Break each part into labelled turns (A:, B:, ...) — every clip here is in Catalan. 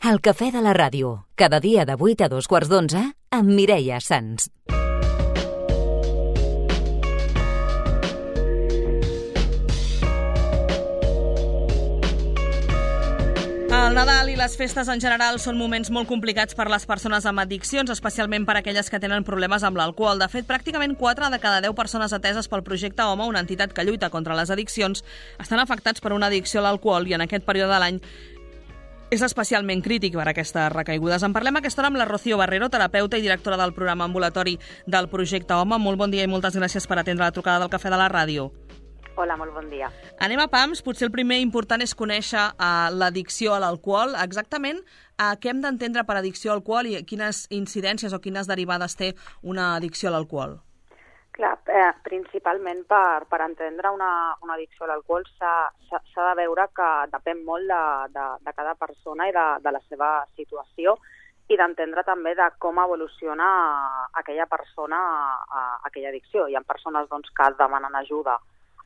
A: El cafè de la ràdio, cada dia de 8 a 2:15 amb Mireia Sans.
B: El Nadal i les festes en general són moments molt complicats per les persones amb addiccions, especialment per aquelles que tenen problemes amb l'alcohol. De fet, pràcticament 4 de cada 10 persones ateses pel projecte Home, una entitat que lluita contra les addiccions, estan afectats per una addicció a l'alcohol i en aquest període de l'any és especialment crític per aquestes recaigudes. En parlem aquesta hora amb la Rocío Barrero, terapeuta i directora del programa ambulatori del projecte Home. Molt bon dia i moltes gràcies per atendre la trucada del cafè de la ràdio.
C: Hola, molt bon dia.
B: Anem a pams. Potser el primer important és conèixer l'addicció a l'alcohol. Exactament què hem d'entendre per addicció a l'alcohol i quines incidències o quines derivades té una addicció a l'alcohol?
C: Clar, principalment per entendre una addicció a l'alcohol s'ha de veure que depèn molt de cada persona i de la seva situació i d'entendre també de com evoluciona aquella persona a aquella addicció. Hi ha persones que demanen ajuda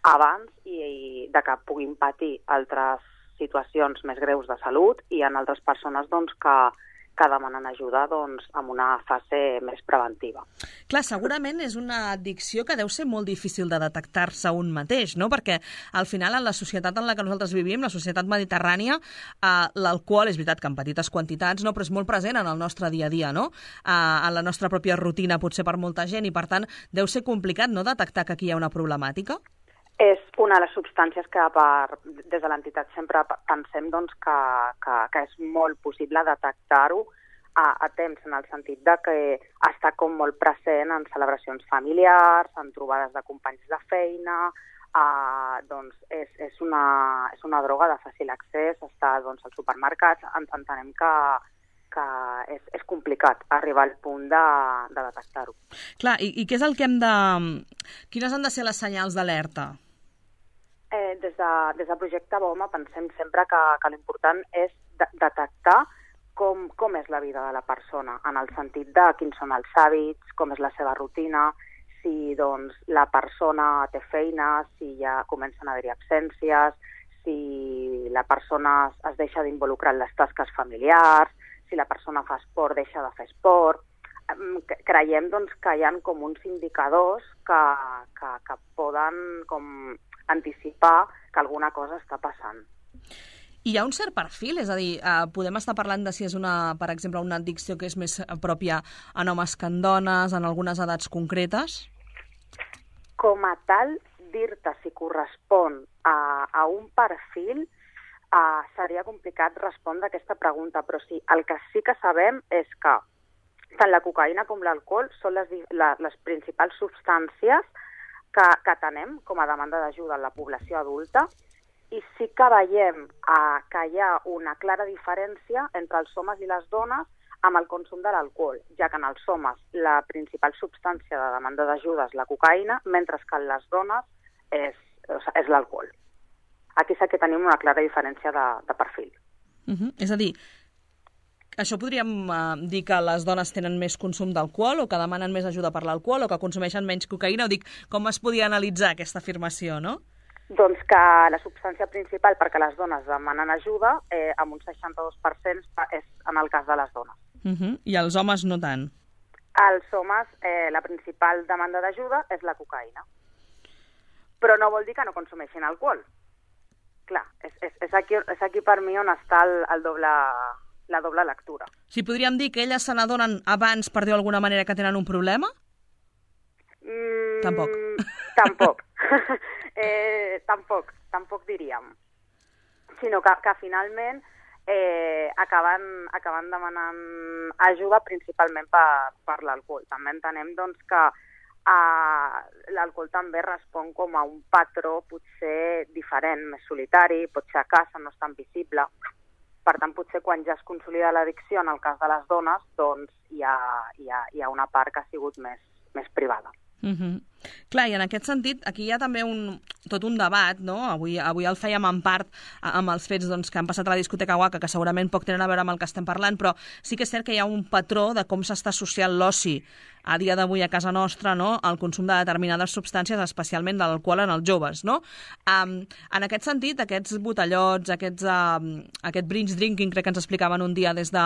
C: abans i de que puguin patir altres situacions més greus de salut i hi ha altres persones que demanen ajuda en una fase més preventiva.
B: Clar, segurament és una addicció que deu ser molt difícil de detectar-se un mateix, no? Perquè al final en la societat en la que nosaltres vivim, la societat mediterrània, l'alcohol és veritat que en petites quantitats, no? Però és molt present en el nostre dia a dia, no? En la nostra pròpia rutina potser per molta gent i per tant deu ser complicat, no?, detectar que aquí hi ha una problemàtica?
C: És una de les substàncies que des de l'entitat sempre pensem que és molt possible detectar-ho a temps, en el sentit de que està com molt present en celebracions familiars, en trobades de companys de feina, és una droga de fàcil accés, està als supermercats, entenem que és complicat arribar al punt de detectar-ho.
B: Clar, i què és el que quines han de ser les senyals d'alerta?
C: Des del projecte Home pensem sempre que l'important és detectar com és la vida de la persona, en el sentit de quins són els hàbits, com és la seva rutina, si la persona té feina, si ja comencen a haver-hi absències, si la persona es deixa d'involucrar en les tasques familiars, si la persona fa esport, deixa de fer esport. Creiem que hi ha com uns indicadors que poden com anticipar que alguna cosa està passant.
B: Hi ha un cert perfil? És a dir, podem estar parlant de si és, per exemple, una addicció que és més pròpia en homes que en dones, en algunes edats concretes?
C: Com a tal, dir-te si correspon a un perfil seria complicat respondre a aquesta pregunta, però sí, el que sí que sabem és que tant la cocaïna com l'alcohol són les principals substàncies que tenem com a demanda d'ajuda en la població adulta i sí que veiem que hi ha una clara diferència entre els homes i les dones amb el consum de l'alcohol, ja que en els homes la principal substància de demanda d'ajuda és la cocaïna, mentre que en les dones és l'alcohol. Aquí sí que tenim una clara diferència de perfil.
B: És a dir, això podríem dir que les dones tenen més consum d'alcohol o que demanen més ajuda per l'alcohol o que consumeixen menys cocaïna? Com es podia analitzar aquesta afirmació, no?
C: Doncs que la substància principal perquè les dones demanen ajuda, amb un 62% és en el cas de les dones.
B: I els homes no tant?
C: Els homes, la principal demanda d'ajuda és la cocaïna. Però no vol dir que no consumeixin alcohol. Clar, és aquí per mi on està la doble lectura.
B: Si podríem dir que elles se n'adonen abans, per dir-ho d'alguna manera, que tenen un problema? Tampoc. Tampoc diríem. Sinó que finalment acaben demanant ajuda principalment per l'alcohol. També entenem que l'alcohol també respon com a un patró potser diferent, més solitari, potser a casa no és tan visible. Per tant, potser quan ja es consolida l'addicció, en el cas de les dones, hi ha una part que ha sigut més privada. Clar, i en aquest sentit, aquí hi ha també tot un debat, no? Avui el fèiem en part amb els fets que han passat a la discoteca Waka, que segurament poc tenen a veure amb el que estem parlant, però sí que és cert que hi ha un patró de com s'està associant l'oci a dia d'avui a casa nostra, no?, el consum de determinades substàncies, especialment de l'alcohol en els joves, no? En aquest sentit, aquests botellots, aquest binge drinking, crec que ens explicaven un dia des de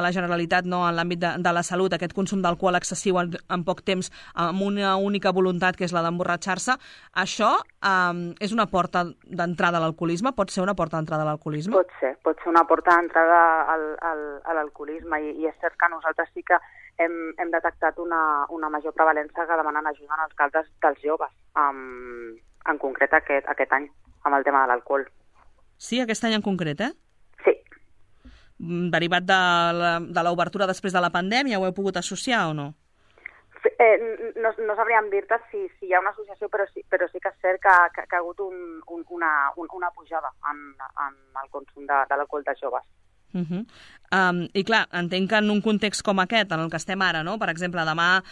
B: la Generalitat, no?, en l'àmbit de la salut, aquest consum d'alcohol excessiu en poc temps, amb una única voluntat, que és la d'emborratxar-se, això és una porta d'entrada a l'alcoholisme? Pot ser una porta d'entrada a l'alcoholisme?
C: Pot ser una porta d'entrada a l'alcoholisme, i és cert que nosaltres sí que hem detectat una major prevalença que demanen ajuda en els casos dels joves, en concret aquest any, amb el tema de l'alcohol.
B: Sí, aquest any en concret, eh?
C: Sí.
B: Derivat de l'obertura després de la pandèmia, ho heu pogut associar o no?
C: No sabríem dir-te si hi ha una associació, però sí que és cert que ha hagut una pujada en el consum de l'alcohol dels joves.
B: I clar, entenc que en un context com aquest, en el que estem ara, no? Per exemple, demà,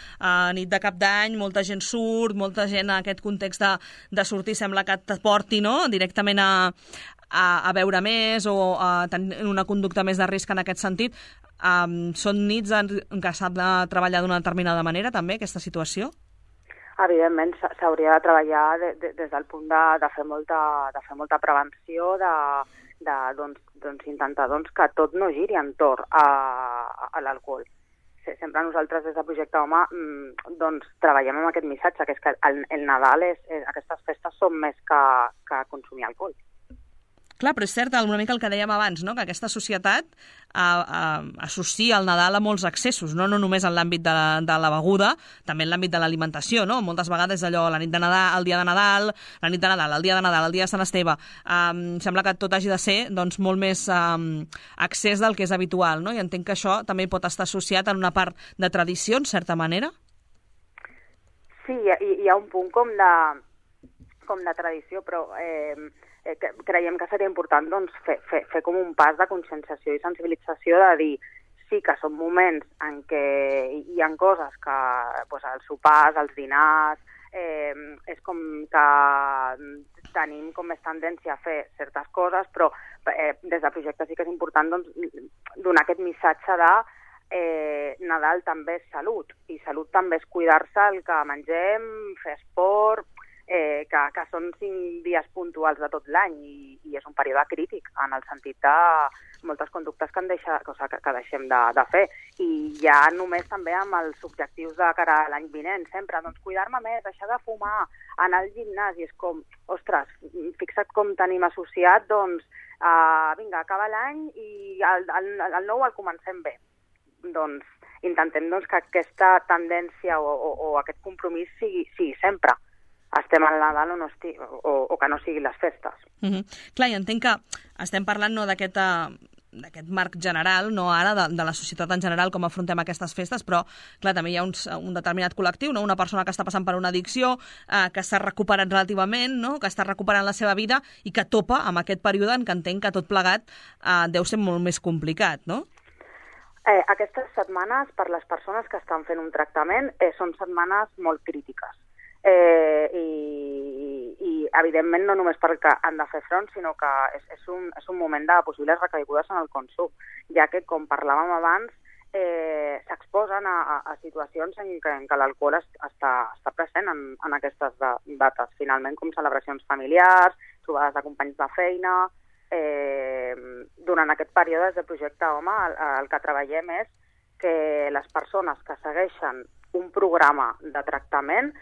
B: nit de cap d'any, molta gent surt, molta gent en aquest context de sortir sembla que et porti, no?, directament a beure més o a tenir una conducta més de risc en aquest sentit. Són nits en què s'ha de treballar d'una determinada manera, també, aquesta situació?
C: Evidentment, s'hauria de treballar des del punt de fer molta prevenció, intentar que tot no giri entorn a l'alcohol. Sempre nosaltres des de Projecte Home treballem amb aquest missatge, que és que el Nadal, aquestes festes són més que consumir alcohol.
B: Clar, però és cert una mica el que dèiem abans, no?, que aquesta societat associa el Nadal a molts excessos, no només en l'àmbit de la beguda, també en l'àmbit de l'alimentació, no? Moltes vegades allò, la nit de Nadal, el dia de Nadal, la nit de Nadal, el dia de Nadal, el dia de Sant Esteve, sembla que tot hagi de ser molt més excés del que és habitual, no? I entenc que això també pot estar associat en una part de tradició, en certa manera?
C: Sí, hi ha un punt com de tradició, però creiem que seria important fer com un pas de conscienciació i sensibilització, de dir sí que són moments en què hi ha coses que els sopars, els dinars, és com que tenim com més tendència a fer certes coses, però des de projecte sí que és important donar aquest missatge de Nadal també és salut, i salut també és cuidar-se el que mengem, fer esport, que són 5 dies puntuals de tot l'any, i és un període crític en el sentit de moltes conductes que deixem de fer. I ja només també amb els objectius de cara a l'any vinent, sempre cuidar-me més, deixar de fumar, anar al gimnàs, i és com, ostres, fixa't com tenim associat, vinga, acaba l'any i el nou el comencem bé. Intentem que aquesta tendència o aquest compromís sigui sempre. Estem al Nadal o que no siguin les festes.
B: Clar, i entenc que estem parlant d'aquest marc general, no ara, de la societat en general, com afrontem aquestes festes, però clar, també hi ha un determinat col·lectiu, no? Una persona que està passant per una addicció, que està recuperant relativament, no? Que està recuperant la seva vida i que topa amb aquest període en què entenc que tot plegat deu ser molt més complicat, no?
C: Aquestes setmanes, per les persones que estan fent un tractament, són setmanes molt crítiques. I evidentment no només perquè han de fer front, sinó que és un moment de possibles recaigudes en el consum, ja que, com parlàvem abans, s'exposen a situacions en què l'alcohol està present en aquestes dates, finalment, com celebracions familiars, trobades de companys de feina. Durant aquest període des de Projecte Home el que treballem és que les persones que segueixen un programa de tractament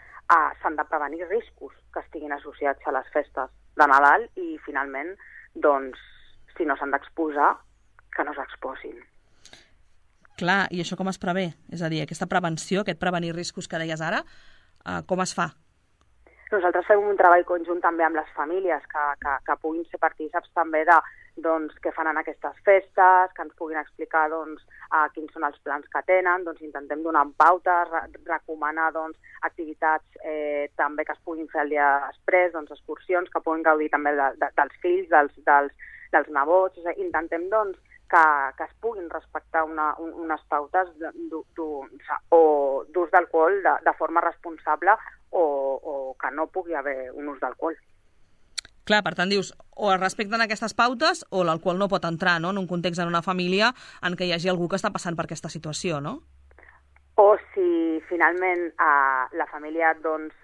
C: s'han de prevenir riscos que estiguin associats a les festes de Nadal, i finalment, si no s'han d'exposar, que no s'exposin.
B: Clar, i això com es prevé? És a dir, aquesta prevenció, aquest prevenir riscos que deies ara, com es fa?
C: Nosaltres fem un treball conjunt també amb les famílies que puguin ser partícips també de què fan en aquestes festes, que ens puguin explicar quins són els plans que tenen, intentem donar pautes, recomanar activitats també que es puguin fer el dia després, excursions, que puguin gaudir també dels fills, dels nebots. Intentem que es puguin respectar unes pautes d'ús d'alcohol de forma responsable o que no pugui haver un ús d'alcohol.
B: Clar, per tant, dius, o es respecten aquestes pautes o l'alcohol no pot entrar, no?, en un context, en una família en què hi hagi algú que està passant per aquesta situació, no?
C: O si finalment la família doncs,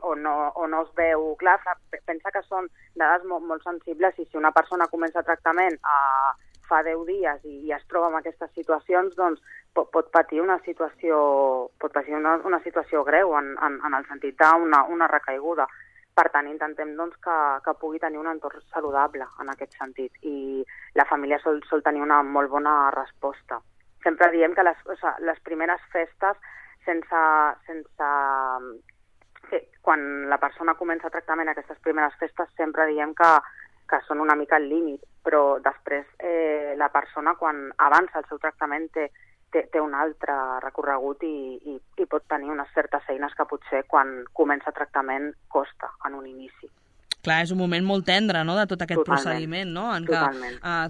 C: o no es veu clar, pensa que són dades molt sensibles i si una persona comença tractament fa 10 dies i es troba en aquestes situacions, doncs pot patir una situació greu en el sentit d'una recaiguda. Per tant, intentem doncs, que pugui tenir un entorn saludable en aquest sentit i la família sol tenir una molt bona resposta. Sempre diem que les primeres festes, quan la persona comença tractament aquestes primeres festes, sempre diem que són una mica al límit, però després la persona, quan avança el seu tractament, té un altre recorregut i pot tenir unes certes eines que potser quan comença tractament costa en un inici.
B: Clar, és un moment molt tendre, no?, de tot aquest procediment, no?, en què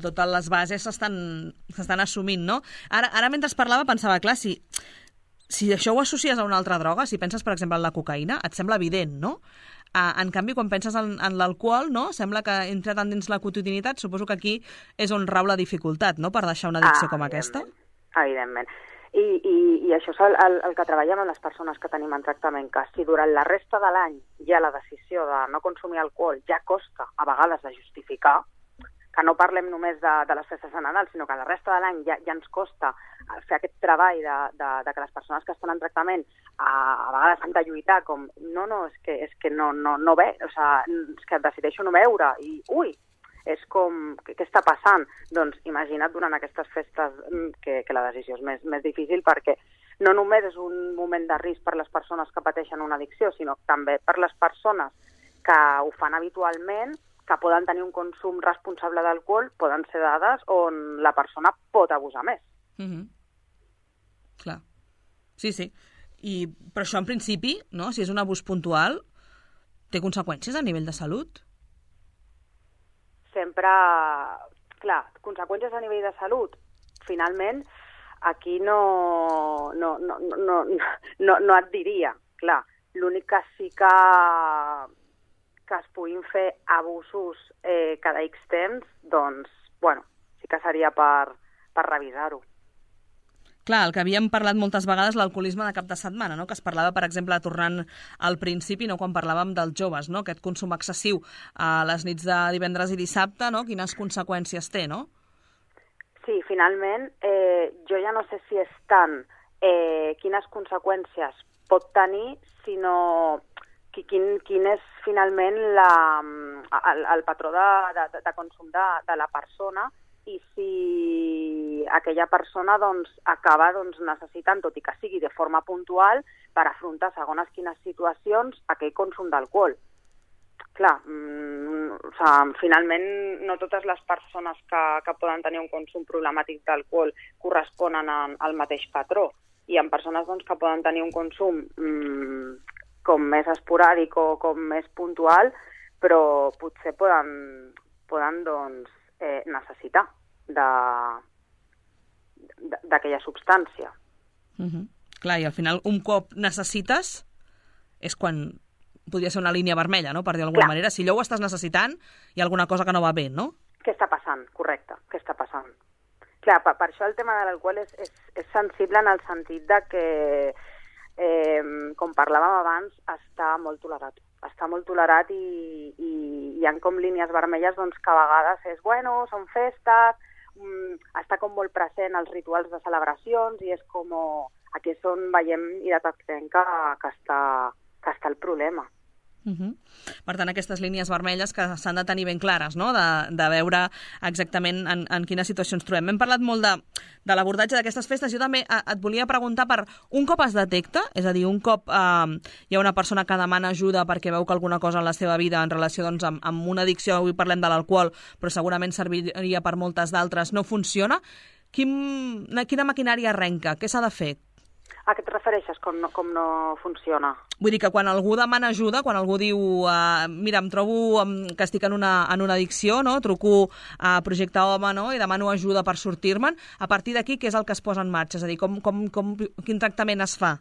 B: totes les bases s'estan assumint, no? Ara mentre parlava pensava, clar, si això ho associes a una altra droga, si penses, per exemple, en la cocaïna, et sembla evident, no? En canvi, quan penses en l'alcohol, no?, sembla que entra tant dins la quotidianitat, suposo que aquí és on rau la dificultat, no?, per deixar una addicció com aquesta.
C: Evidentment. I això és el que treballem amb les persones que tenim en tractament, que si durant la resta de l'any ja la decisió de no consumir alcohol ja costa a vegades de justificar, que no parlem només de les festes de Nadal, sinó que la resta de l'any ja ens costa fer aquest treball de que les persones que estan en tractament a vegades han de lluitar com és que no ve, o sigui, és que decideixo no veure i és com, què està passant? Doncs imagina't durant aquestes festes que la decisió és més difícil perquè no només és un moment de risc per les persones que pateixen una addicció, sinó també per les persones que ho fan habitualment, que poden tenir un consum responsable d'alcohol, poden ser dades on la persona pot abusar més.
B: Clar. Sí. Però això en principi, no?, si és un abús puntual, té conseqüències a nivell de salut?
C: Sempre, clar, conseqüències a nivell de salut, finalment, aquí no et diria, clar. L'únic que sí que es puguin fer abusos cada X temps, doncs, bueno, sí que seria per revisar-ho.
B: Clar, el que havíem parlat moltes vegades, l'alcoholisme de cap de setmana, no?, que es parlava, per exemple, tornant al principi, no?, quan parlàvem dels joves, no?, aquest consum excessiu a les nits de divendres i dissabte, no?, quines conseqüències té, no?
C: Sí, finalment, jo ja no sé si és tant quines conseqüències pot tenir, sinó quin és finalment el patró de consum de la persona i si aquella persona doncs, acaba necessitant, tot i que sigui de forma puntual, per afrontar segones quines situacions aquell consum d'alcohol. Clar, finalment no totes les persones que poden tenir un consum problemàtic d'alcohol corresponen al mateix patró. Hi ha persones doncs, que poden tenir un consum com més esporàdic o com més puntual, però potser poden doncs, necessitar d'aquella substància.
B: Clar, i al final un cop necessites és quan podria ser una línia vermella, no?, per dir d'alguna manera. Si allò ho estàs necessitant, hi ha alguna cosa que no va bé, no?
C: Què està passant? Correcte, què està passant? Clar, per això el tema de l'alcohol és sensible en el sentit de que, com parlàvem abans, està molt tolerat. Està molt tolerat i hi ha com línies vermelles doncs, que a vegades és, bueno, són festes, està com molt present els rituals de celebracions i és com, aquí és on veiem i detectem que està el problema.
B: Per tant, aquestes línies vermelles que s'han de tenir ben clares, no?, de veure exactament en quina situació ens trobem. Hem parlat molt de l'abordatge d'aquestes festes. Jo també et volia preguntar per un cop es detecta, és a dir, un cop hi ha una persona que demana ajuda perquè veu que alguna cosa en la seva vida en relació doncs, amb una addicció, avui parlem de l'alcohol, però segurament serviria per moltes d'altres, no funciona, quina maquinària arrenca? Què s'ha de fer?
C: A què et refereixes, com no funciona?
B: Vull dir que quan algú demana ajuda, quan algú diu mira, em trobo que estic en una addicció, no? Truco a Projecte Home, no? I demano ajuda per sortir-me'n, a partir d'aquí què és el que es posa en marxa? És a dir, quin tractament es fa?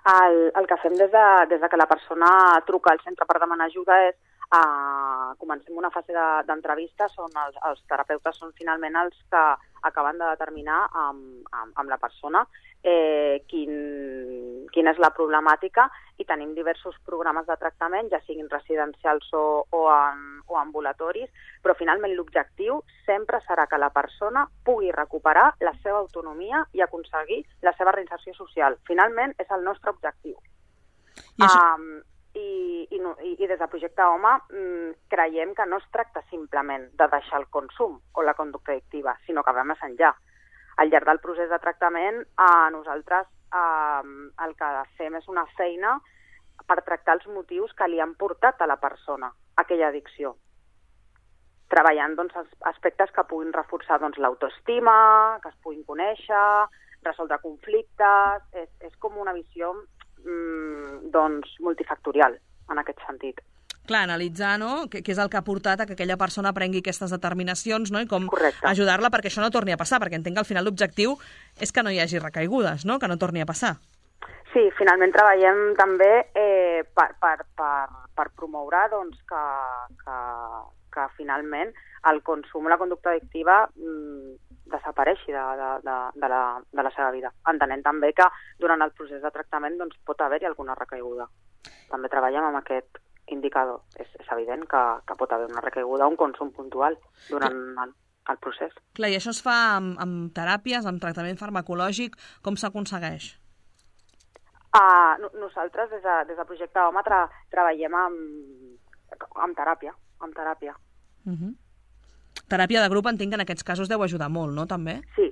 C: El que fem des de que la persona truca al centre per demanar ajuda és comencem una fase d'entrevistes on els terapeutes són finalment els que acaben de determinar amb la persona quina és la problemàtica, i tenim diversos programes de tractament, ja siguin residencials o ambulatoris, però finalment l'objectiu sempre serà que la persona pugui recuperar la seva autonomia i aconseguir la seva reinserció social. Finalment és el nostre objectiu. I des de Projecte Home creiem que no es tracta simplement de deixar el consum o la conducta addictiva, sinó que va més enllà. Al llarg del procés de tractament, nosaltres el que fem és una feina per tractar els motius que li han portat a la persona a aquella addicció, treballant aspectes que puguin reforçar l'autoestima, que es puguin conèixer, resoldre conflictes. És com una visió multifactorial en aquest sentit.
B: Clar, analitzar, no?, què és el que ha portat a que aquella persona prengui aquestes determinacions, no?, i com ajudar-la perquè això no torni a passar, perquè entenc que al final l'objectiu és que no hi hagi recaigudes, no?, que no torni a passar.
C: Sí, finalment treballem també per promoure que finalment el consum, la conducta addictiva desapareixi de la seva vida. Entenent també que durant el procés de tractament pot haver-hi alguna recaiguda. També treballem amb aquest indicador. És evident que pot haver una recaiguda o un consum puntual durant el procés.
B: Clar, i això es fa amb teràpies, amb tractament farmacològic? Com s'aconsegueix?
C: Nosaltres, des de Projecte Home, treballem amb teràpia.
B: Teràpia de grup entenc que en aquests casos deu ajudar molt, no, també?
C: Sí.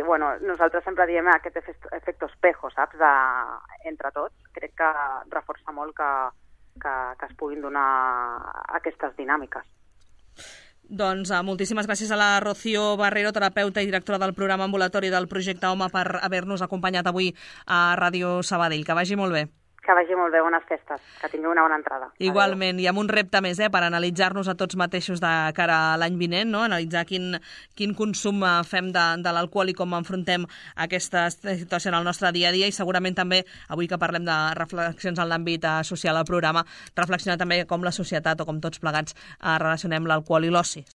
C: Bueno, nosaltres sempre diem aquest efecte espejo, saps, entre tots. Crec que reforça molt que es puguin donar aquestes dinàmiques.
B: Doncs moltíssimes gràcies a la Rocío Barrero, terapeuta i directora del programa ambulatori del Projecte Home, per haver-nos acompanyat avui a Ràdio Sabadell. Que vagi molt bé.
C: Que vagi molt bé, bones festes, que tingueu una bona entrada.
B: Igualment, i amb un repte més, per analitzar-nos a tots mateixos de cara a l'any vinent, no? Analitzar quin consum fem de l'alcohol i com enfrontem aquesta situació en el nostre dia a dia, i segurament també, avui que parlem de reflexions en l'àmbit social al programa, reflexionar també com la societat o com tots plegats relacionem l'alcohol i l'oci.